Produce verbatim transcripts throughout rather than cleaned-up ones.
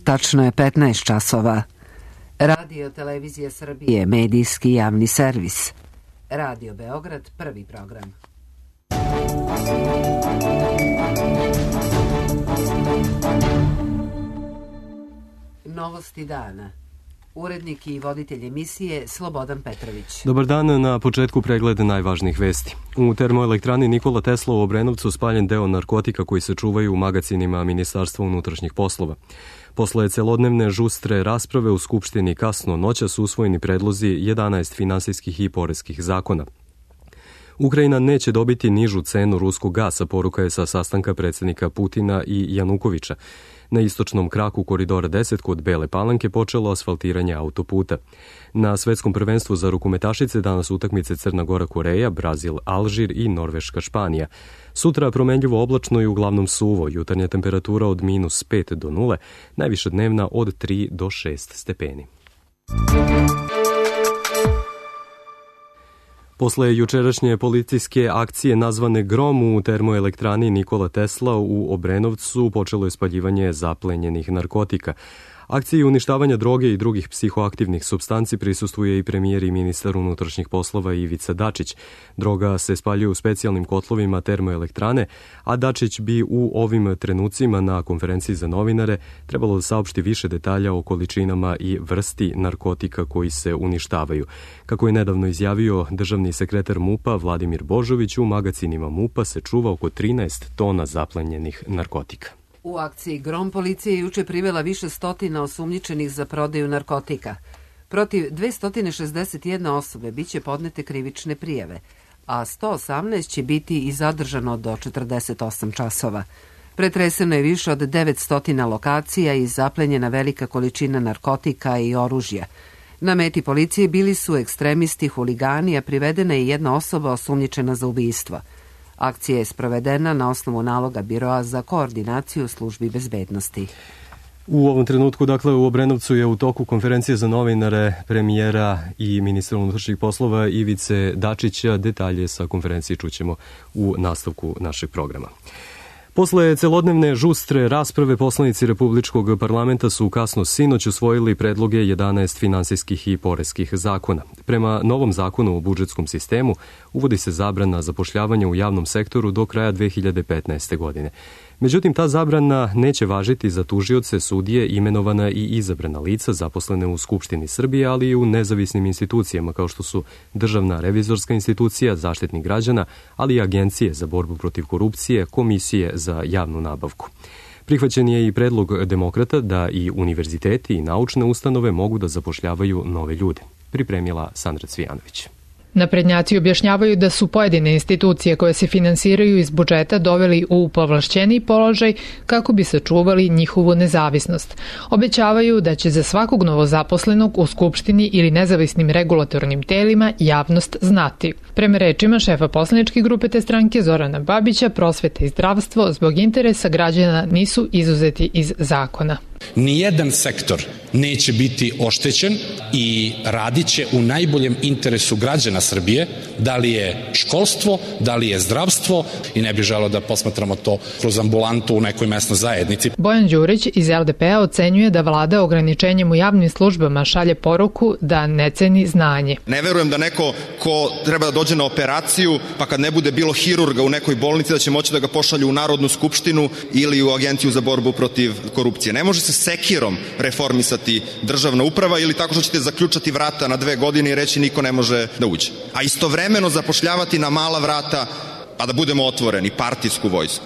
tačno je petnaest časova. Radio Televizija Srbije, medijski javni servis. Radio Beograd, prvi program. Novosti dana. Urednik i voditelj emisije Slobodan Petrović. Dobar dan, na početku pregled najvažnijih vesti. U termoelektrani Nikola Tesla u Obrenovcu spaljen deo narkotika koji se čuvaju u magacinima Ministarstva unutrašnjih poslova. Posle celodnevne žustre rasprave u Skupštini kasno noća su usvojeni predlozi jedanaest finansijskih i poreskih zakona. Ukrajina neće dobiti nižu cenu ruskog gasa, poruka je sa sastanka predsjednika Putina i Janukovića. Na istočnom kraku koridora deset kod Bele Palanke počelo asfaltiranje autoputa. Na svetskom prvenstvu za rukometašice danas utakmice Crna Gora Koreja, Brazil Alžir i Norveška Španija. Sutra promenljivo oblačno i uglavnom suvo, jutarnja temperatura od minus pet do nule, najviša dnevna od tri do šest stepeni. Posle jučerašnje policijske akcije nazvane Grom u termoelektrani Nikola Tesla u Obrenovcu počelo je spaljivanje zaplenjenih narkotika. Akciji uništavanja droge i drugih psihoaktivnih supstanci prisustvuje i premijer i ministar unutrašnjih poslova Ivica Dačić. Droga se spaljuje u specijalnim kotlovima termoelektrane, a Dačić bi u ovim trenucima na konferenciji za novinare trebalo da saopšti više detalja o količinama i vrsti narkotika koji se uništavaju. Kako je nedavno izjavio državni sekretar MUP-a Vladimir Božović, u magacinima MUP-a se čuva oko trinaest tona zaplenjenih narkotika. U akciji Grom policija je juče privela više stotina osumnjičenih za prodaju narkotika. Protiv dvesta šezdeset jedne osobe biće podnete krivične prijave, a sto osamnaest će biti i zadržano do četrdeset osam časova. Pretreseno je više od devetsto lokacija i zaplenjena velika količina narkotika i oružja. Na meti policije bili su ekstremisti, huligani, a privedena je jedna osoba osumnjičena za ubistvo. Akcija je sprovedena na osnovu naloga Biroa za koordinaciju službi bezbednosti. U ovom trenutku, dakle, u Obrenovcu je u toku konferencije za novinare premijera i ministra unutrašnjih poslova Ivice Dačića. Detalje sa konferencije čućemo u nastavku našeg programa. Posle celodnevne žustre rasprave poslanici Republičkog parlamenta su kasno sinoć usvojili predloge jedanaest finansijskih i poreskih zakona. Prema novom zakonu o budžetskom sistemu uvodi se zabrana zapošljavanja u javnom sektoru do kraja dve hiljade petnaeste. godine. Međutim, ta zabrana neće važiti za tužioce, sudije, imenovana i izabrana lica zaposlene u Skupštini Srbije, ali i u nezavisnim institucijama kao što su Državna revizorska institucija, Zaštitnik građana, ali i agencije za borbu protiv korupcije, komisije za javnu nabavku. Prihvaćen je i predlog demokrata da i univerziteti i naučne ustanove mogu da zapošljavaju nove ljude. Pripremila Sandra Cvijanović. Naprednjaci objašnjavaju da su pojedine institucije koje se finansiraju iz budžeta doveli u povlašćeniji položaj kako bi sačuvali njihovu nezavisnost. Obećavaju da će za svakog novozaposlenog u Skupštini ili nezavisnim regulatornim telima javnost znati. Prema rečima šefa poslaničke grupe te stranke Zorana Babića, prosveta i zdravstvo zbog interesa građana nisu izuzeti iz zakona. Nijedan sektor neće biti oštećen i radit će u najboljem interesu građana Srbije, da li je školstvo, da li je zdravstvo, i ne bih želeo da posmatramo to kroz ambulantu u nekoj mesnoj zajednici. Bojan Đurić iz el de pe-a ocenjuje da vlada ograničenjem u javnim službama šalje poruku da ne ceni znanje. Ne verujem da neko ko treba da dođe na operaciju, pa kad ne bude bilo hirurga u nekoj bolnici, da će moći da ga pošalju u Narodnu skupštinu ili u Agenciju za borbu protiv korupcije. Ne može se sekirom reformisati državna uprava ili tako što ćete zaključati vrata na dve godine i reći niko ne može da uđe. A istovremeno zapošljavati na mala vrata, pa da budemo otvoreni, partijsku vojsku.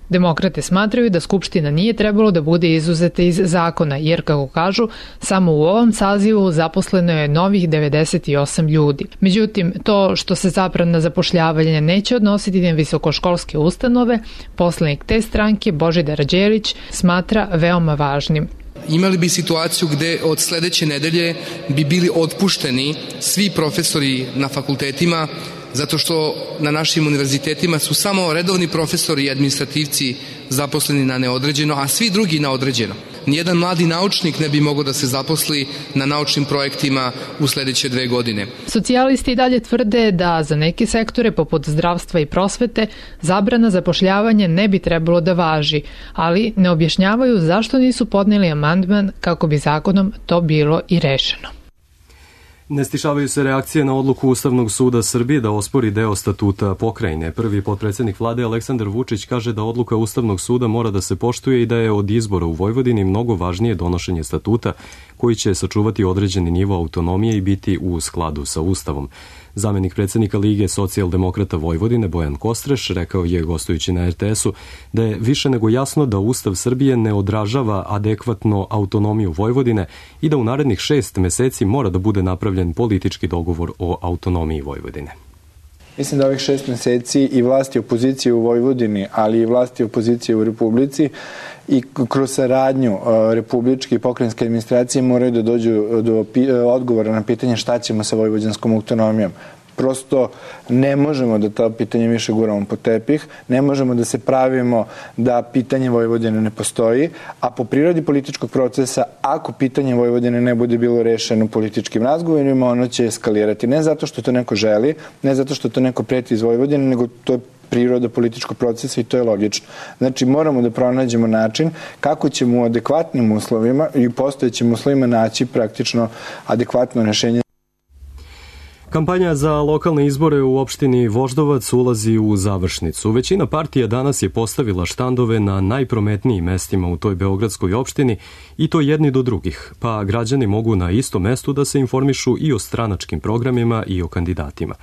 Demokrate smatraju da Skupština nije trebalo da bude izuzeta iz zakona, jer, kako kažu, samo u ovom sazivu zaposleno je novih devedeset osam ljudi. Međutim, to što se zabrana zapošljavanja neće odnositi na visokoškolske ustanove, poslanik te stranke Božidar Đelić smatra veoma važnim. Imali bi situaciju gde od sledeće nedelje bi bili otpušteni svi profesori na fakultetima, zato što na našim univerzitetima su samo redovni profesori i administrativci zaposleni na neodređeno, a svi drugi na određeno. nijedan mladi naučnik ne bi mogao da se zaposli na naučnim projektima u sledeće dve godine. Socijalisti dalje tvrde da za neke sektore poput zdravstva i prosvete zabrana zapošljavanja ne bi trebalo da važi, ali ne objašnjavaju zašto nisu podneli amandman kako bi zakonom to bilo i rešeno. Ne stišavaju se reakcije na odluku Ustavnog suda Srbije da ospori deo statuta pokrajine. Prvi potpredsednik vlade Aleksandar Vučić kaže da odluka Ustavnog suda mora da se poštuje i da je od izbora u Vojvodini mnogo važnije donošenje statuta koji će sačuvati određeni nivo autonomije i biti u skladu sa Ustavom. Zamenik predsednika Lige socijaldemokrata Vojvodine Bojan Kostreš rekao je gostujući na er te esu da je više nego jasno da Ustav Srbije ne odražava adekvatno autonomiju Vojvodine i da u narednih šest meseci mora da bude napravljen politički dogovor o autonomiji Vojvodine. Mislim da ovih šest meseci i vlasti opozicije u Vojvodini, ali i vlasti opozicije u Republici i kroz saradnju republičke i pokrajinske administracije moraju da dođu do odgovora na pitanje šta ćemo sa vojvođanskom autonomijom. Prosto ne možemo da to pitanje više guramo po tepih, ne možemo da se pravimo da pitanje Vojvodine ne postoji, a po prirodi političkog procesa, ako pitanje Vojvodine ne bude bilo rešeno političkim razgovorima, ono će eskalirati. Ne zato što to neko želi, ne zato što to neko preti iz Vojvodine, nego to je priroda političkog procesa i to je logično. Znači, moramo da pronađemo način kako ćemo u adekvatnim uslovima i u postojećim uslovima naći praktično adekvatno rešenje. Kampanja za lokalne izbore u opštini Voždovac ulazi u završnicu. Većina partija danas je postavila štandove na najprometnijim mestima u toj beogradskoj opštini i to jedni do drugih, pa građani mogu na istom mestu da se informišu i o stranačkim programima i o kandidatima.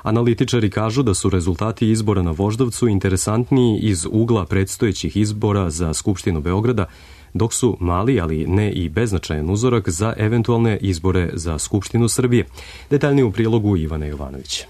Analitičari kažu da su rezultati izbora na Voždovcu interesantniji iz ugla predstojećih izbora za Skupštinu Beograda, dok su mali, ali ne i beznačajan uzorak za eventualne izbore za Skupštinu Srbije. Detaljnije u prilogu Ivana Jovanović.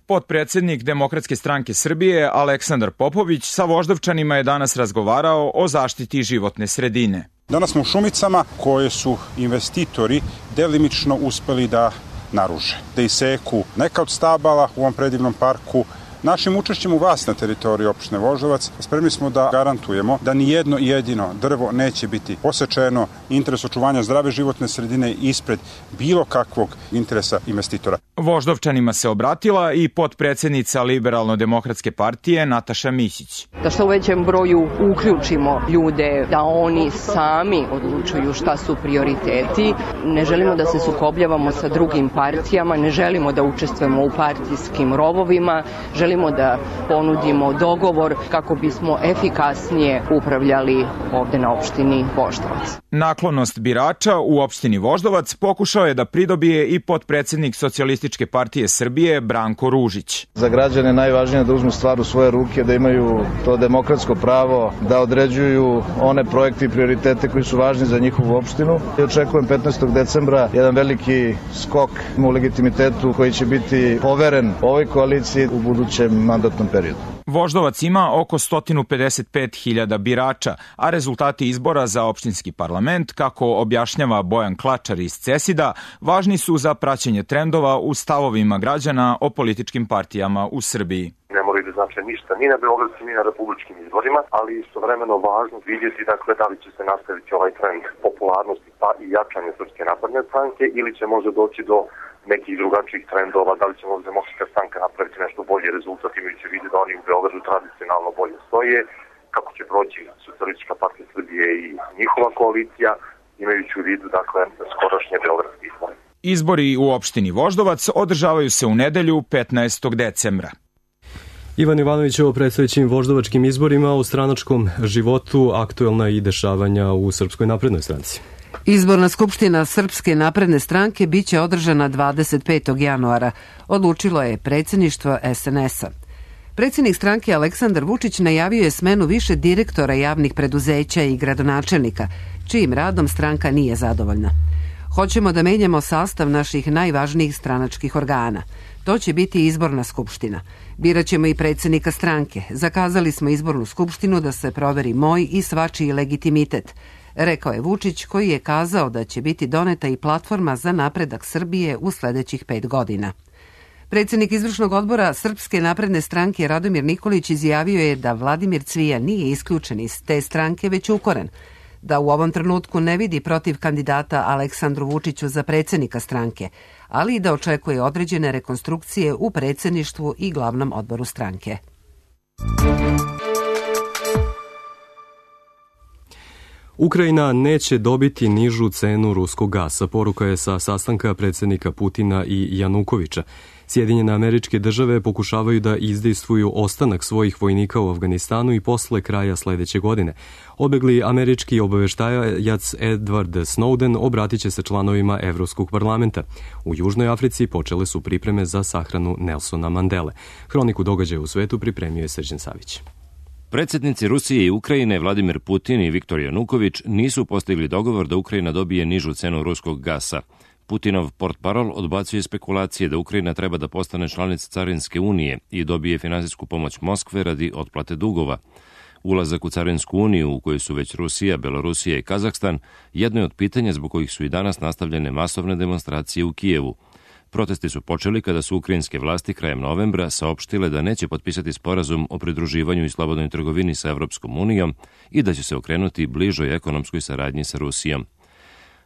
Potpredsednik Demokratske stranke Srbije Aleksandar Popović sa Voždovčanima je danas razgovarao o zaštiti životne sredine. Danas smo u šumicama koje su investitori delimično uspeli da naruže, da iseku neka od stabala u ovom predivnom parku. Našim učešćem u vas na teritoriji opštine Voždovac spremni smo da garantujemo da ni jedno jedino drvo neće biti posečeno. Interes očuvanja zdrave životne sredine ispred bilo kakvog interesa investitora. Voždovčanima se obratila i potpredsednica Liberalno-demokratske partije Nataša Mićić. Da što u većem broju uključimo ljude, da oni sami odlučuju šta su prioriteti. Ne želimo da se sukobljavamo sa drugim partijama, ne želimo da učestvujemo u partijskim rovovima, želimo da ponudimo dogovor kako bismo efikasnije upravljali ovde na opštini Voždovac. Naklonost birača u opštini Voždovac pokušao je da pridobije i potpredsednik Socijalističke partije Srbije Branko Ružić. Za građane najvažnije da uzmu stvar u svoje ruke, da imaju to demokratsko pravo da određuju one projekte i prioritete koji su važni za njihovu opštinu. I očekujem petnaestog decembra jedan veliki skok u legitimitetu koji će biti poveren ovoj koaliciji u budućem mandatnom periodu. Voždovac ima oko sto pedeset pet hiljada birača, a rezultati izbora za opštinski parlament, kako objašnjava Bojan Klačar iz Cesida, važni su za praćenje trendova u stavovima građana o političkim partijama u Srbiji. Ne moraju da znače ništa ni na beogradskim ni na republičkim izborima, ali istovremeno važno vidjeti dakle da li će se nastaviti ovaj trend popularnosti pa i jačanja Srpske napredne stranke ili će možda doći do nekih drugačijih trendova, da li će možda Demokratska stranka napraviti nešto bolji rezultat imajući vidi da oni u Beogradu tradicionalno bolje stoje, kako će proći Socijalistička partija Srbije i njihova koalicija, imajući u vidu dakle skorašnje beogradske izbore. Izbori u opštini Voždovac održavaju se u nedelju petnaestog decembra. Ivan Jovanović o predstojećim voždovačkim izborima, o stranačkom životu, aktuelna i dešavanja u Srpskoj naprednoj stranci. Izborna skupština Srpske napredne stranke biće održana dvadeset petog januara, odlučilo je predsjedništvo es en es a. Predsjednik stranke Aleksandar Vučić najavio je smenu više direktora javnih preduzeća i gradonačelnika, čijim radom stranka nije zadovoljna. Hoćemo da menjamo sastav naših najvažnijih stranačkih organa. To će biti izborna skupština. Biraćemo i predsjednika stranke. Zakazali smo izbornu skupštinu da se proveri moj i svačiji legitimitet, rekao je Vučić, koji je kazao da će biti doneta i platforma za napredak Srbije u sledećih pet godina. Predsjednik izvršnog odbora Srpske napredne stranke Radomir Nikolić izjavio je da Vladimir Cvijan nije isključen iz te stranke, već ukoren. da u ovom trenutku ne vidi protiv kandidata Aleksandru Vučiću za predsjednika stranke, ali i da očekuje određene rekonstrukcije u predsjedništvu i glavnom odboru stranke. Ukrajina neće dobiti nižu cenu ruskog gasa, poruka je sa sastanka predsjednika Putina i Janukovića. Sjedinjene Američke Države pokušavaju da izdejstvuju ostanak svojih vojnika u Afganistanu i posle kraja sledeće godine. Odbegli američki obaveštajac Edward Snowden obratit će se članovima Evropskog parlamenta. U Južnoj Africi počele su pripreme za sahranu Nelsona Mandele. Hroniku događaja u svetu pripremio je Srđan Savić. Predsjednici Rusije i Ukrajine Vladimir Putin i Viktor Januković nisu postigli dogovor da Ukrajina dobije nižu cenu ruskog gasa. Putinov portparol odbacuje spekulacije da Ukrajina treba da postane članica Carinske unije i dobije finansijsku pomoć Moskve radi otplate dugova. Ulazak u Carinsku uniju, u kojoj su već Rusija, Belorusija i Kazahstan, jedno je od pitanja zbog kojih su i danas nastavljene masovne demonstracije u Kijevu. Protesti su počeli kada su ukrajinske vlasti krajem novembra saopštile da neće potpisati sporazum o pridruživanju i slobodnoj trgovini sa Evropskom unijom i da će se okrenuti bližoj ekonomskoj saradnji sa Rusijom.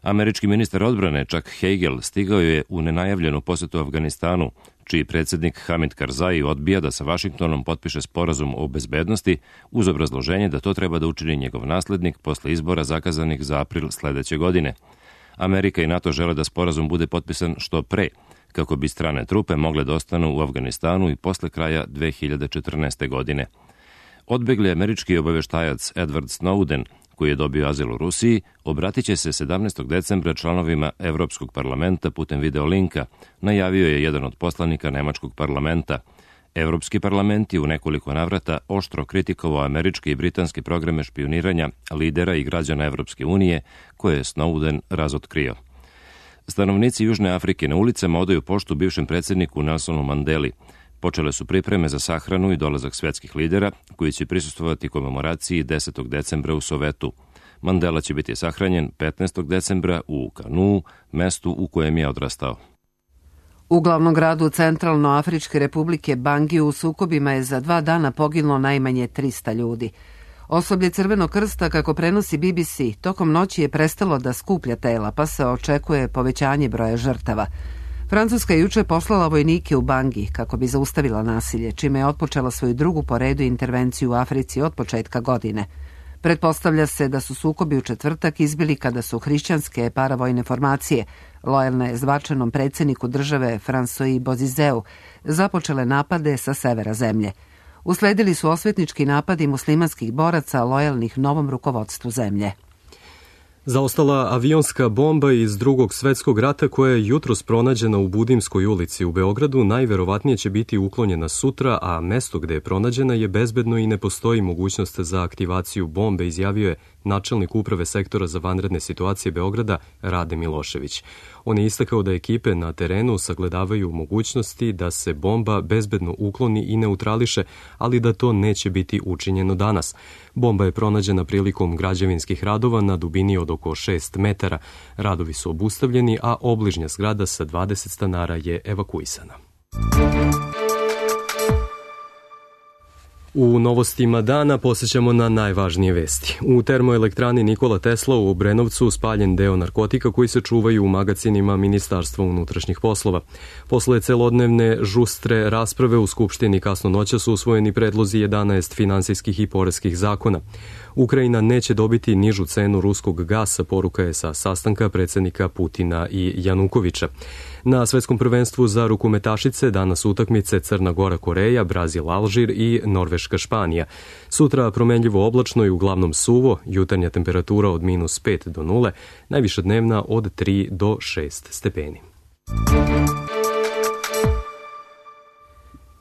Američki ministar odbrane Chuck Hagel stigao je u nenajavljenu posetu Afganistanu, čiji predsjednik Hamid Karzai odbija da sa Vašingtonom potpiše sporazum o bezbednosti uz obrazloženje da to treba da učini njegov naslednik posle izbora zakazanih za april sledeće godine. Amerika i NATO žele da sporazum bude potpisan što pre, kako bi strane trupe mogle da ostanu u Afganistanu i posle kraja dve hiljade četrnaeste. godine. Odbegli američki obaveštajac Edward Snowden, koji je dobio azil u Rusiji, obratit će se sedamnaestog decembra članovima Evropskog parlamenta putem videolinka, najavio je jedan od poslanika Nemačkog parlamenta. Evropski parlament je u nekoliko navrata oštro kritikovao američke i britanske programe špioniranja lidera i građana Evropske unije, koje je Snowden razotkrio. Stanovnici Južne Afrike na ulicama odaju poštu bivšem predsjedniku Nelsonu Mandeli. Počele su pripreme za sahranu i dolazak svetskih lidera, koji će prisustvovati komemoraciji desetog decembra u Sovetu. Mandela će biti sahranjen petnaestog decembra u Kanuu, mestu u kojem je odrastao. U glavnom gradu Centralnoafričke republike Bangi u sukobima je za dva dana poginulo najmanje trista ljudi. Osoblje Crvenog krsta, kako prenosi B B C, tokom noći je prestalo da skuplja tela, pa se očekuje povećanje broja žrtava. Francuska je juče poslala vojnike u Bangi kako bi zaustavila nasilje, čime je otpočela svoju drugu po redu intervenciju u Africi od početka godine. Pretpostavlja se da su sukobi u četvrtak izbili kada su hrišćanske paravojne formacije, lojalne zvačenom predsjedniku države François Bozizeu, započele napade sa severa zemlje. Usledili su osvetnički napadi muslimanskih boraca lojalnih novom rukovodstvu zemlje. Zaostala avionska bomba iz Drugog svetskog rata koja je jutros pronađena u Budimskoj ulici u Beogradu najverovatnije će biti uklonjena sutra, a mesto gde je pronađena je bezbedno i ne postoji mogućnost za aktivaciju bombe, izjavio je načelnik uprave sektora za vanredne situacije Beograda Rade Milošević. On je istakao da ekipe na terenu sagledavaju mogućnosti da se bomba bezbedno ukloni i neutrališe, ali da to neće biti učinjeno danas. Bomba je pronađena prilikom građevinskih radova na dubini od oko šest metara. Radovi su obustavljeni, a obližnja zgrada sa dvadeset stanara je evakuisana. U novostima dana posjećamo na najvažnije vesti. U termoelektrani Nikola Tesla u Obrenovcu spaljen deo narkotika koji se čuvaju u magacinima Ministarstva unutrašnjih poslova. Posle celodnevne žustre rasprave u Skupštini kasno noća su usvojeni predlozi jedanaest finansijskih i poreskih zakona. Ukrajina neće dobiti nižu cenu ruskog gasa, poruka je sa sastanka predsjednika Putina i Janukovića. Na svetskom prvenstvu za rukometašice danas utakmice Crna Gora Koreja, Brazil Alžir i Norveška Španija. Sutra promenljivo oblačno i uglavnom suvo, jutarnja temperatura od minus pet do nule, najviša dnevna od tri do šest stepeni.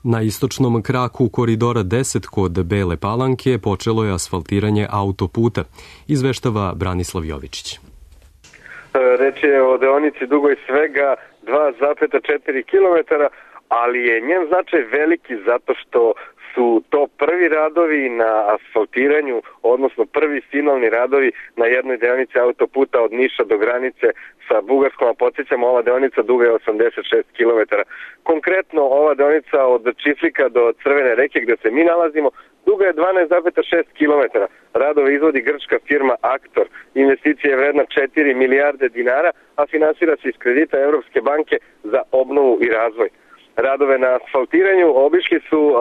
Na istočnom kraku koridora deset kod Bele Palanke počelo je asfaltiranje autoputa, izveštava Branislav Jovičić. Reč je o deonici dugoj svega dva zarez četiri kilometara, ali je njen značaj veliki zato što su to prvi radovi na asfaltiranju, odnosno prvi finalni radovi na jednoj deonici autoputa od Niša do granice sa Bugarskom, a podsjećamo, ova deonica duga je osamdeset šest kilometara. Konkretno, ova deonica od Čiflika do Crvene reke, gde se mi nalazimo, duga duga je dvanaest zarez šest kilometara. Radove izvodi grčka firma Aktor. Investicija je vredna četiri milijarde dinara, a finansira se iz kredita Evropske banke za obnovu i razvoj. Radove na asfaltiranju obišli su uh,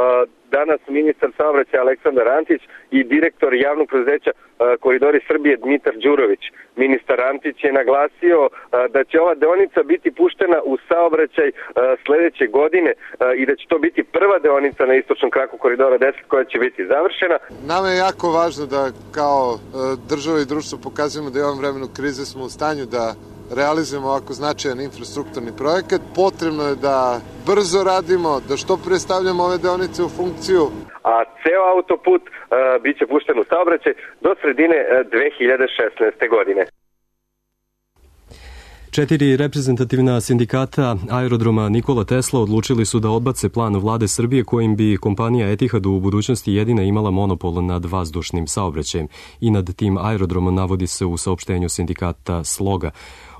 danas ministar saobraćaja Aleksandar Antić i direktor javnog preduzeća uh, Koridori Srbije Dmitar Đurović. Ministar Antić je naglasio uh, da će ova deonica biti puštena u saobraćaj uh, sledeće godine uh, i da će to biti prva deonica na istočnom kraku Koridora deset koja će biti završena. Nama je jako važno da kao uh, država i društvo pokazujemo da u ovom vremenu krize smo u stanju da realizujemo ovako značajan infrastrukturni projekat. Potrebno je da brzo radimo, da što pre stavljamo ove deonice u funkciju. A ceo autoput uh, bit će pušten u saobraćaj do sredine uh, dve hiljade šesnaeste. godine. Četiri reprezentativna sindikata aerodroma Nikola Tesla odlučili su da odbace plan vlade Srbije kojim bi kompanija Etihad u budućnosti jedina imala monopol nad vazdušnim saobraćajem i nad tim aerodromom, navodi se u saopštenju sindikata Sloga.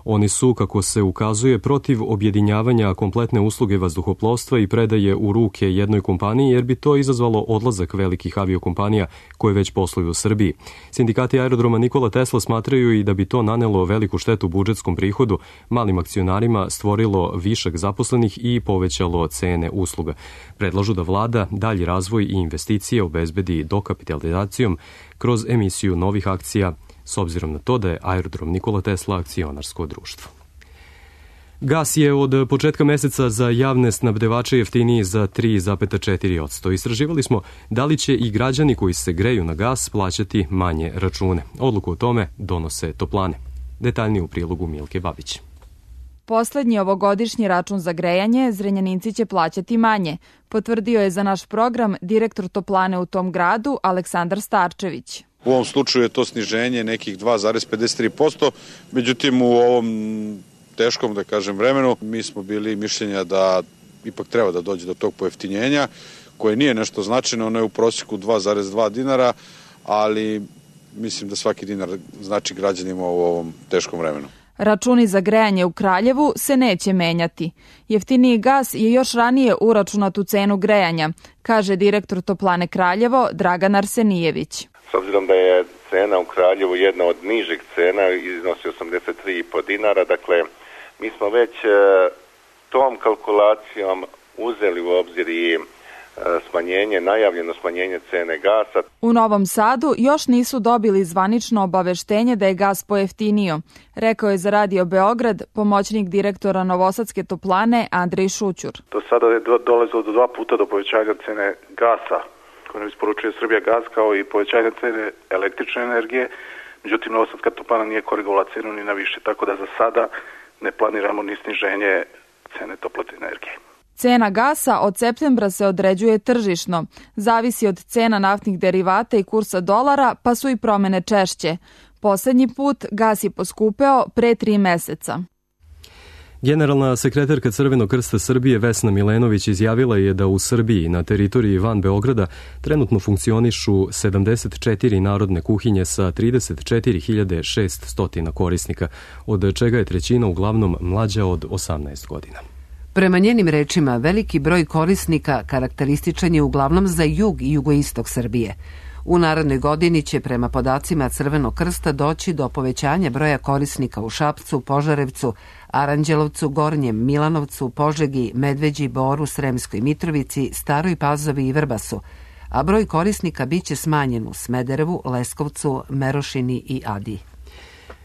Oni su, kako se ukazuje, protiv objedinjavanja kompletne usluge vazduhoplovstva i predaje u ruke jednoj kompaniji, jer bi to izazvalo odlazak velikih aviokompanija koje već posluju u Srbiji. Sindikati aerodroma Nikola Tesla smatraju i da bi to nanelo veliku štetu budžetskom prihodu, malim akcionarima stvorilo višak zaposlenih i povećalo cene usluga. Predlažu da vlada dalji razvoj i investicije obezbedi dokapitalizacijom kroz emisiju novih akcija, s obzirom na to da je aerodrom Nikola Tesla akcionarsko društvo. Gas je od početka meseca za javne snabdevače jeftiniji za tri zarez četiri posto. Istraživali smo da li će i građani koji se greju na gas plaćati manje račune. Odluku o tome donose toplane. Detaljnije u prilogu Milke Babić. Poslednji ovogodišnji račun za grejanje Zrenjaninci će plaćati manje, potvrdio je za naš program direktor toplane u tom gradu Aleksandar Starčević. U ovom slučaju je to sniženje nekih dva zarez pedeset tri posto, međutim u ovom teškom, da kažem, vremenu mi smo bili mišljenja da ipak treba da dođe do tog pojeftinjenja, koje nije nešto značajno, ono je u prosjeku dva zarez dva dinara, ali mislim da svaki dinar znači građanima u ovom teškom vremenu. Računi za grejanje u Kraljevu se neće menjati. Jeftiniji gas je još ranije uračunat u cenu grejanja, kaže direktor toplane Kraljevo Dragan Arsenijević. S obzirom da je cena u Kraljevu jedna od nižih cena, iznosi osamdeset tri zarez pet dinara, dakle mi smo već tom kalkulacijom uzeli u obzir i smanjenje, najavljeno smanjenje cene gasa. U Novom Sadu još nisu dobili zvanično obaveštenje da je gas pojeftinio, rekao je za Radio Beograd pomoćnik direktora Novosadske toplane Andrej Šućur. Do sada je dolazilo do dva puta do povećanja cene gasa koje nam isporučuje Srbija gas, kao i povećanje cene električne energije, međutim Novosadska toplana nije korigovala cenu ni na više, tako da za sada ne planiramo ni sniženje cene toplotne energije. Cena gasa od septembra se određuje tržišno, zavisi od cena naftnih derivata i kursa dolara, pa su i promene češće. Poslednji put gas je poskupeo pre tri meseca. Generalna sekretarka Crvenog krsta Srbije Vesna Milenović izjavila je da u Srbiji na teritoriji van Beograda trenutno funkcionišu sedamdeset četiri narodne kuhinje sa trideset četiri hiljade šeststo korisnika, od čega je trećina uglavnom mlađa od osamnaest godina. Prema njenim rečima, veliki broj korisnika karakterističan je uglavnom za jug i jugoistok Srbije. U narednoj godini će prema podacima Crvenog krsta doći do povećanja broja korisnika u Šapcu, Požarevcu, Aranđelovcu, Gornjem Milanovcu, Požegi, Medveđi, Boru, Sremskoj Mitrovici, Staroj Pazovi i Vrbasu, a broj korisnika biće smanjen u Smederevu, Leskovcu, Merošini i Adi.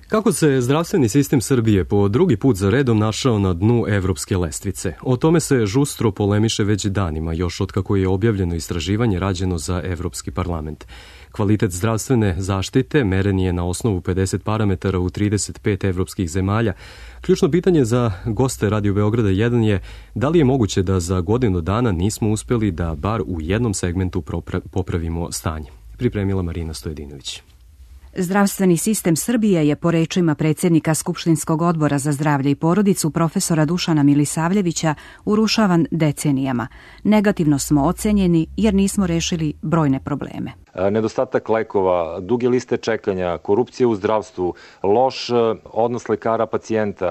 Kako se zdravstveni sistem Srbije po drugi put za redom našao na dnu evropske lestvice? O tome se žustro polemiše već danima, još od kako je objavljeno istraživanje rađeno za Evropski parlament. Kvalitet zdravstvene zaštite meren je na osnovu pedeset parametara u trideset pet evropskih zemalja. Ključno pitanje za goste Radio Beograda jedan je da li je moguće da za godinu dana nismo uspeli da bar u jednom segmentu popravimo stanje. Pripremila Marina Stojedinović. Zdravstveni sistem Srbije je, po rečima predsjednika Skupštinskog odbora za zdravlje i porodicu profesora Dušana Milisavljevića, urušavan decenijama. Negativno smo ocenjeni jer nismo rešili brojne probleme. Nedostatak lekova, duge liste čekanja, korupcija u zdravstvu, loš odnos lekara pacijenta,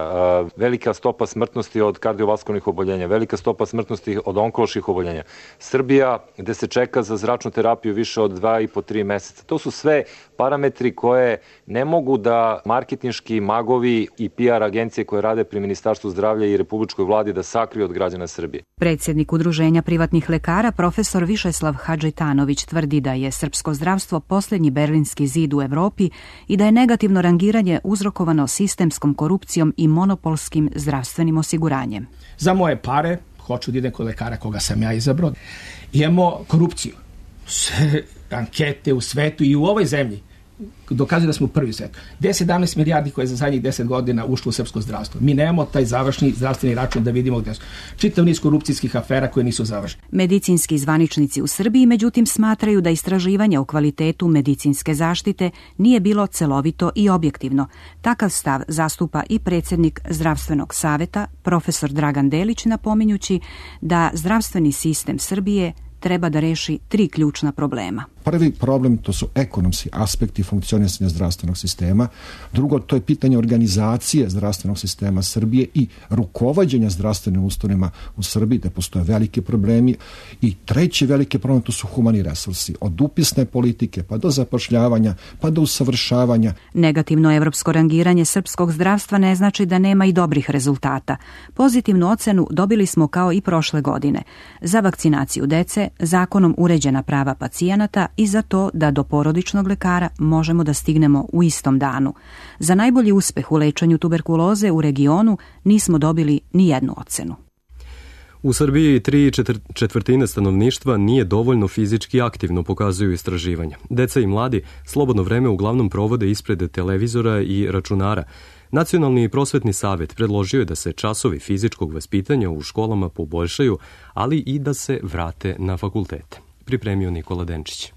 velika stopa smrtnosti od kardiovaskularnih oboljenja, velika stopa smrtnosti od onkoloških oboljenja. Srbija gde se čeka za zračnu terapiju više od dva i po tri meseca. To su sve parametri koje ne mogu da marketinški magovi i P R agencije koje rade pri Ministarstvu zdravlja i Republičkoj vladi da sakriju od građana Srbije. Predsjednik Udruženja privatnih lekara, profesor Višeslav Hadžitanović, tvrdi da je srpsko zdravstvo posljednji berlinski zid u Evropi i da je negativno rangiranje uzrokovano sistemskom korupcijom i monopolskim zdravstvenim osiguranjem. Za moje pare hoću da idem kod lekara koga sam ja izabrao. Imamo korupciju. Sve ankete u svetu i u ovoj zemlji dokazuju da smo prvi svet. deset sedamnaest milijardi koje je za zadnjih deset godina ušlo u srpsko zdravstvo. Mi nemamo taj završni zdravstveni račun da vidimo gde su. Čitav niz korupcijskih afera koje nisu završene. Medicinski zvaničnici u Srbiji međutim smatraju da istraživanje o kvalitetu medicinske zaštite nije bilo celovito i objektivno. Takav stav zastupa i predsjednik Zdravstvenog saveta, profesor Dragan Delić, napominjući da zdravstveni sistem Srbije treba da reši tri ključna problema. Prvi problem to su ekonomski aspekti funkcionisanja zdravstvenog sistema. Drugo, to je pitanje organizacije zdravstvenog sistema Srbije i rukovođenja zdravstvenim ustanovama u Srbiji, da postoje velike problemi. I treći veliki problem to su humani resursi. Od upisne politike pa do zapošljavanja pa do usavršavanja. Negativno evropsko rangiranje srpskog zdravstva ne znači da nema i dobrih rezultata. Pozitivnu ocenu dobili smo kao i prošle godine. Za vakcinaciju dece, zakonom uređena prava pacijenata i za to da do porodičnog lekara možemo da stignemo u istom danu. Za najbolji uspeh u lečenju tuberkuloze u regionu nismo dobili ni jednu ocenu. U Srbiji tri četvrtine stanovništva nije dovoljno fizički aktivno, pokazuju istraživanja. Deca i mladi slobodno vreme uglavnom provode ispred televizora i računara. Nacionalni prosvetni savet predložio je da se časovi fizičkog vaspitanja u školama poboljšaju, ali i da se vrate na fakultete. Pripremio Nikola Denčić.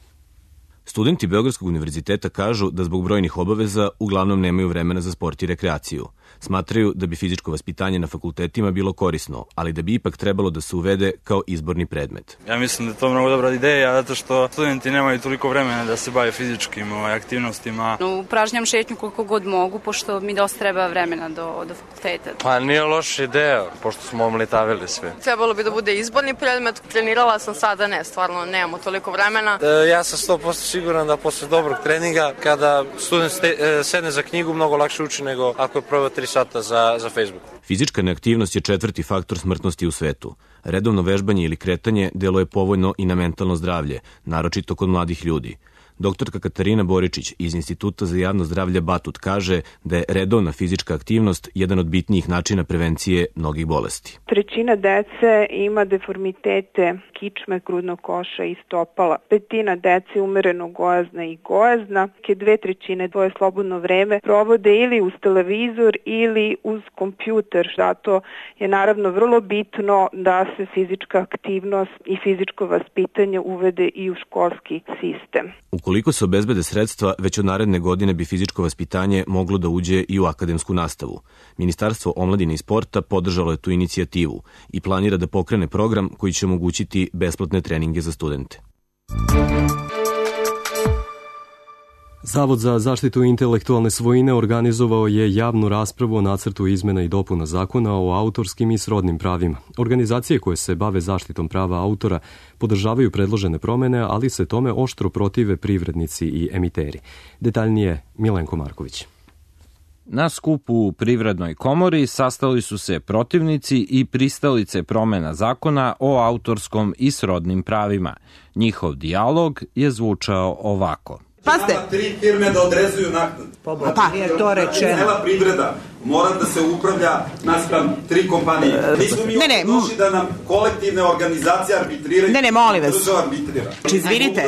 Studenti Beogradskog univerziteta kažu da zbog brojnih obaveza uglavnom nemaju vremena za sport i rekreaciju. Smatraju da bi fizičko vaspitanje na fakultetima bilo korisno, ali da bi ipak trebalo da se uvede kao izborni predmet. Ja mislim da je to mnogo dobra ideja, zato što studenti nemaju toliko vremena da se bave fizičkim ovaj, aktivnostima. Upražnjam šetnju koliko god mogu, pošto mi dosta treba vremena do, do fakulteta. Pa nije loša ideja, pošto smo omletavili sve. Trebalo bi da bude izborni predmet, trenirala sam sada, ne, stvarno nemamo toliko vremena. E, ja sam sto posto siguran da posle dobrog treninga, kada student ste, e, sedne za knjigu, mnogo lakše uči nego ako je probao tri sata za, za Facebook. Fizička neaktivnost je četvrti faktor smrtnosti u svetu. Redovno vežbanje ili kretanje deluje povoljno i na mentalno zdravlje, naročito kod mladih ljudi. Doktorka Katarina Boričić iz Instituta za javno zdravlje Batut kaže da je redovna fizička aktivnost jedan od bitnijih načina prevencije mnogih bolesti. Trećina dece ima deformitete kičme, grudnog koša i stopala. Petina dece umereno gojazna i gojazna. Ke dve trećine tvoje slobodno vreme provode ili uz televizor ili uz kompjuter. Zato je naravno vrlo bitno da se fizička aktivnost i fizičko vaspitanje uvede i u školski sistem. Ukoliko se obezbede sredstva, već od naredne godine bi fizičko vaspitanje moglo da uđe i u akademsku nastavu. Ministarstvo omladine i sporta podržalo je tu inicijativu i planira da pokrene program koji će omogućiti besplatne treninge za studente. Zavod za zaštitu intelektualne svojine organizovao je javnu raspravu o nacrtu izmena i dopuna zakona o autorskim i srodnim pravima. Organizacije koje se bave zaštitom prava autora podržavaju predložene promene, ali se tome oštro protive privrednici i emiteri. Detaljnije Milenko Marković. Na skupu u Privrednoj komori sastali su se protivnici i pristalice promena zakona o autorskom i srodnim pravima. Njihov dijalog je zvučao ovako. Pazite. Nama tri firme da odrezuju naknadu. Pa, pa je to rečeno. Cela privreda mora da se upravlja naspram tri kompanije. Nismo mi ne, ne, došli da nam kolektivne organizacije arbitriraju. Ne, ne, molim vas. Izvinite,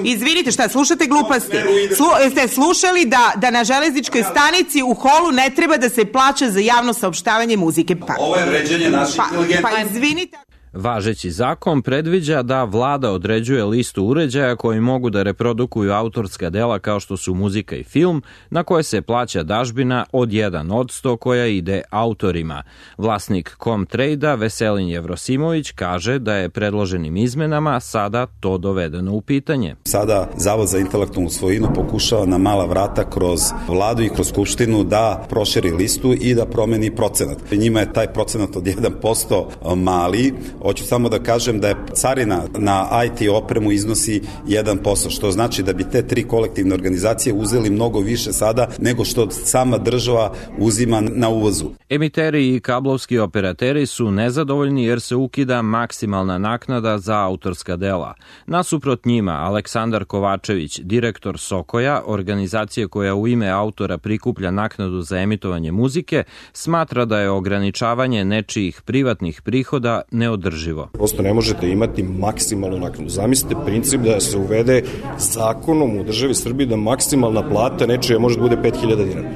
izvinite, šta, slušate gluposti? Slu, ste slušali da, da na železničkoj stanici u holu ne treba da se plaća za javno saopštavanje muzike? Pa, ovo je vređanje naše pa, inteligentnosti. Pa, izvinite. Važeći zakon predviđa da vlada određuje listu uređaja koji mogu da reprodukuju autorska dela kao što su muzika i film, na koje se plaća dažbina od jedan odsto koja ide autorima. Vlasnik Comtrade-a Veselin Jevrosimović kaže da je predloženim izmenama sada to dovedeno u pitanje. Sada Zavod za intelektualnu svojinu pokušava na mala vrata kroz vladu i kroz skupštinu da proširi listu i da promeni procenat. Njima je taj procenat od jedan posto mali. Hoću samo da kažem da je carina na I T opremu iznosi jedan posto, što znači da bi te tri kolektivne organizacije uzeli mnogo više sada nego što sama država uzima na uvozu. Emiteri i kablovski operateri su nezadovoljni jer se ukida maksimalna naknada za autorska dela. Nasuprot njima, Aleksandar Kovačević, direktor Sokoja, organizacije koja u ime autora prikuplja naknadu za emitovanje muzike, smatra da je ograničavanje nečijih privatnih prihoda neodrživo. Prosto ne možete imati maksimalnu naknadu. Zamislite princip da se uvede zakonom u državi Srbiji da maksimalna plata nečija može da bude pet hiljada dinara.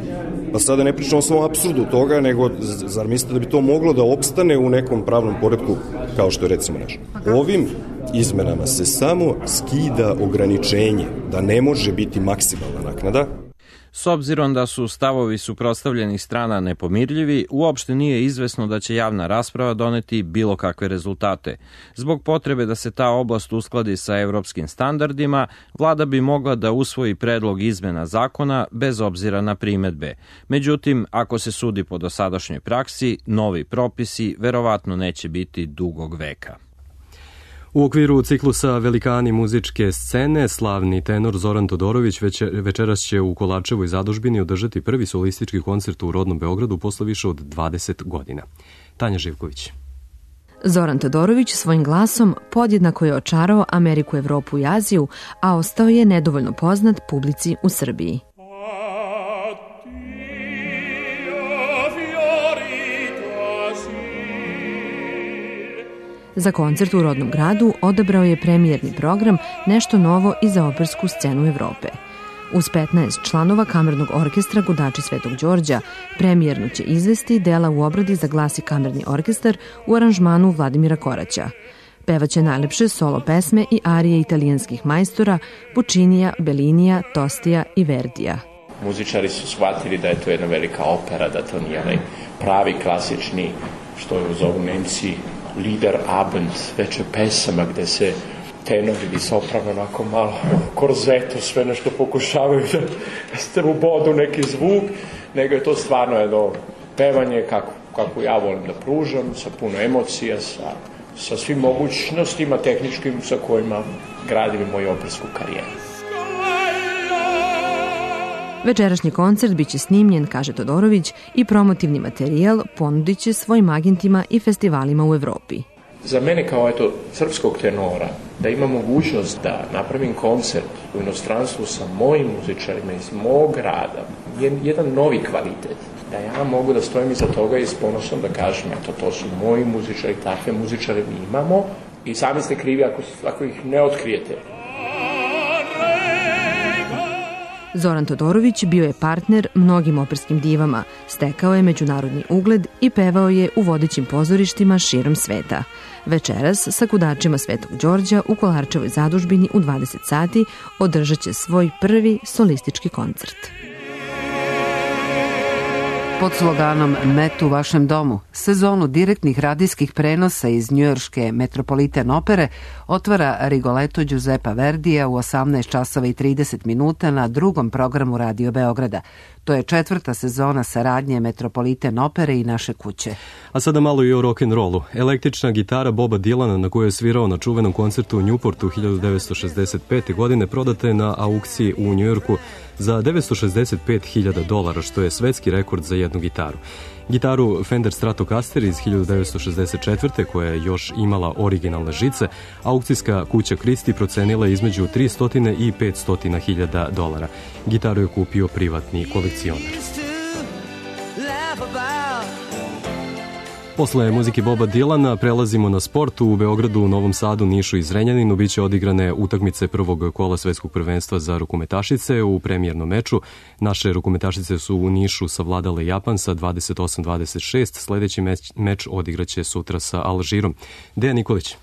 Pa sada ne pričamo samo o apsurdu toga, nego zar mislite da bi to moglo da opstane u nekom pravnom poretku kao što je recimo naš? Ovim izmenama se samo skida ograničenje da ne može biti maksimalna naknada. S obzirom da su stavovi suprotstavljenih strana nepomirljivi, uopšte nije izvesno da će javna rasprava doneti bilo kakve rezultate. Zbog potrebe da se ta oblast uskladi sa evropskim standardima, vlada bi mogla da usvoji predlog izmena zakona bez obzira na primedbe. Međutim, ako se sudi po dosadašnjoj praksi, novi propisi verovatno neće biti dugog veka. U okviru ciklusa Velikani muzičke scene, slavni tenor Zoran Todorović večeras će u Kolarčevoj zadužbini održati prvi solistički koncert u rodnom Beogradu posle više od dvadeset godina. Tanja Živković. Zoran Todorović svojim glasom podjednako je očarao Ameriku, Evropu i Aziju, a ostao je nedovoljno poznat publici u Srbiji. Za koncert u rodnom gradu odabrao je premijerni program Nešto novo i za opersku scenu Evrope. Uz petnaest članova kamernog orkestra Gudači Svetog Đorđa, premijerno će izvesti dela u obradi za glas i kamerni orkestar u aranžmanu Vladimira Koraća. Pevaće najlepše solo pesme i arije italijanskih majstora Puccinija, Bellinija, Tostija i Verdija. Muzičari su shvatili da je to jedna velika opera, da to nije onaj pravi klasični, što je zovu Nemci, Liederabend, veće pesama gde se tenor ili soprano onako malo korzeto sve nešto pokušavaju da ste u bodu neki zvuk, nego je to stvarno jedno pevanje kako, kako ja volim da pružam, sa puno emocija, sa, sa svim mogućnostima tehničkim sa kojima gradim moju opersku karijeru. Večerašnji koncert biće snimljen, kaže Todorović, i promotivni materijal ponudit će svojim agentima i festivalima u Evropi. Za mene kao eto srpskog tenora, da imam mogućnost da napravim koncert u inostranstvu sa mojim muzičarima iz mog rada, je jedan novi kvalitet. Da ja mogu da stojim iza toga i s ponosom da kažem, eto, to su moji muzičari, takve muzičare mi imamo i sami ste krivi ako, ako ih ne otkrijete. Zoran Todorović bio je partner mnogim operskim divama, stekao je međunarodni ugled i pevao je u vodećim pozorištima širom sveta. Večeras sa Gudačima Svetog Đorđa u Kolarčevoj zadužbini u dvadeset sati održat će svoj prvi solistički koncert. Pod sloganom Met u vašem domu, sezonu direktnih radijskih prenosa iz njujorške Metropolitan opere otvara Rigoletto Giuseppa Verdija u osamnaest časova i trideset minuta na drugom programu Radio Beograda. To je četvrta sezona saradnje Metropolitan opere i naše kuće. A sada malo i o rock'n'rollu. Električna gitara Boba Dylana, na kojoj je svirao na čuvenom koncertu u Newportu hiljadu devetsto šezdeset pete. godine, prodata je na aukciji u Njujorku za devetsto šezdeset pet hiljada dolara, što je svetski rekord za jednu gitaru. Gitaru Fender Stratocaster iz hiljadu devetsto šezdeset četvrte. koja je još imala originalne žice, aukcijska kuća Christie procenila između tristo i petsto hiljada dolara. Gitaru je kupio privatni kolekcionar. Posle muzike Boba Dilana prelazimo na sport. U Beogradu, Novom Sadu, Nišu i Zrenjaninu biće odigrane utakmice prvog kola svetskog prvenstva za rukometašice. U premijernom meču naše rukometašice su u Nišu savladale Japan sa dvadeset osam dvadeset šest. Sledeći meč, meč odigraće sutra sa Alžirom. Dejan Nikolić.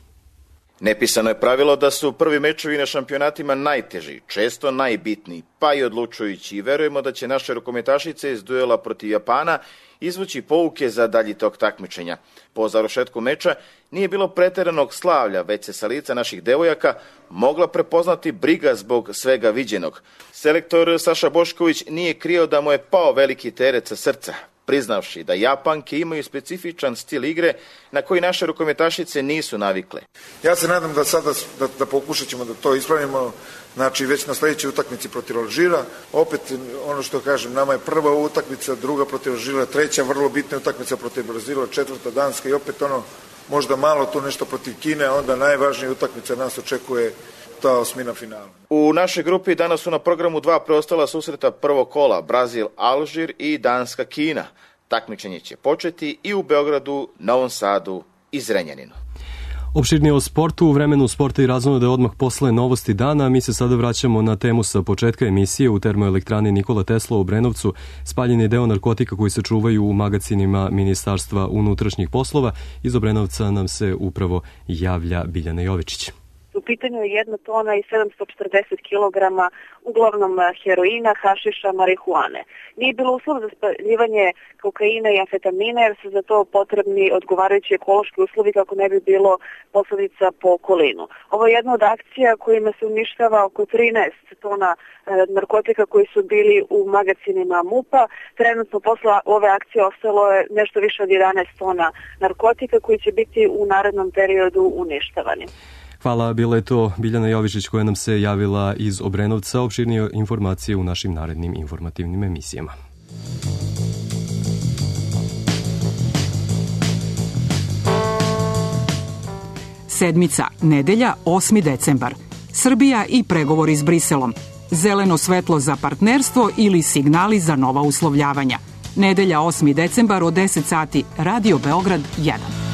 Nepisano je pravilo da su prvi mečevi na šampionatima najteži, često najbitniji, pa i odlučujući, i verujemo da će naše rukometašice iz duela protiv Japana izvući pouke za dalji tok takmičenja. Po završetku meča nije bilo preteranog slavlja, već se sa lica naših devojaka mogla prepoznati briga zbog svega viđenog. Selektor Saša Bošković nije krio da mu je pao veliki teret sa srca, priznavši da Japanke imaju specifičan stil igre na koji naše rukometašice nisu navikle. Ja se nadam da sada da, da pokušat ćemo da to ispravimo, znači već na sledećoj utakmici protiv Alžira. Opet, ono što kažem, nama je prva utakmica, druga protiv Alžira, treća vrlo bitna utakmica protiv Brazila, četvrta Danska i opet ono, možda malo tu nešto protiv Kine, onda najvažnija utakmica nas očekuje ta osmina finala. U našoj grupi danas su na programu dva preostala susreta prvog kola, Brazil, Alžir i Danska, Kina. Takmičenje će početi i u Beogradu, Novom Sadu i Zrenjaninu. Opširnije o sportu u vremenu sporta i razonode odmah posle novosti dana. Mi se sada vraćamo na temu sa početka emisije. U termoelektrani Nikola Tesla u Obrenovcu spaljen je deo narkotika koji se čuvaju u magacinima Ministarstva unutrašnjih poslova. Iz Obrenovca nam se upravo javlja Biljana Jovičić. U pitanju je jedna tona i sedamsto četrdeset kilograma, uglavnom heroina, hašiša, marihuane. Nije bilo uslov za spaljivanje kokaina i amfetamina jer su za to potrebni odgovarajući ekološki uslovi kako ne bi bilo posledica po okolinu. Ovo je jedna od akcija kojima se uništava oko trinaest tona e, narkotika koji su bili u magacinima MUP-a. Trenutno posle ove akcije ostalo je nešto više od jedanaest tona narkotika koji će biti u narednom periodu uništavani. Hvala, bila je to Biljana Jovičić koja nam se javila iz Obrenovca. Opširnije informacije u našim narednim informativnim emisijama. Sedmica, nedelja, osmi decembar. Srbija i pregovori s Briselom. Zeleno svetlo za partnerstvo ili signali za nova uslovljavanja. Nedelja, osmi decembar od deset sati, Radio Beograd jedan.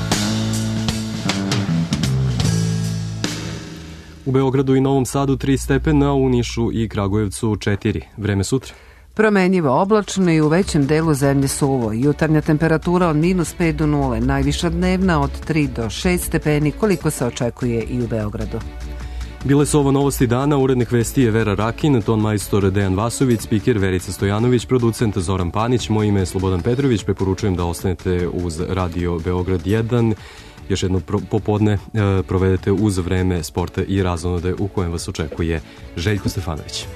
U Beogradu i Novom Sadu tri stepena, u Nišu i Kragujevcu četiri. Vreme sutra. Promenjivo oblačno i u većem delu zemlje suvo. Jutarnja temperatura od minus pet do nule, najviša dnevna od tri do šest stepeni, koliko se očekuje i u Beogradu. Bile su ovo novosti dana, urednik vesti je Vera Rakin, ton majstor Dejan Vasović, spiker Verica Stojanović, producent Zoran Panić, moje ime je Slobodan Petrović, preporučujem da ostanete uz Radio Beograd jedan. Još jedno popodne provedete uz vreme sporta i razonode u kojem vas očekuje Željko Stefanović.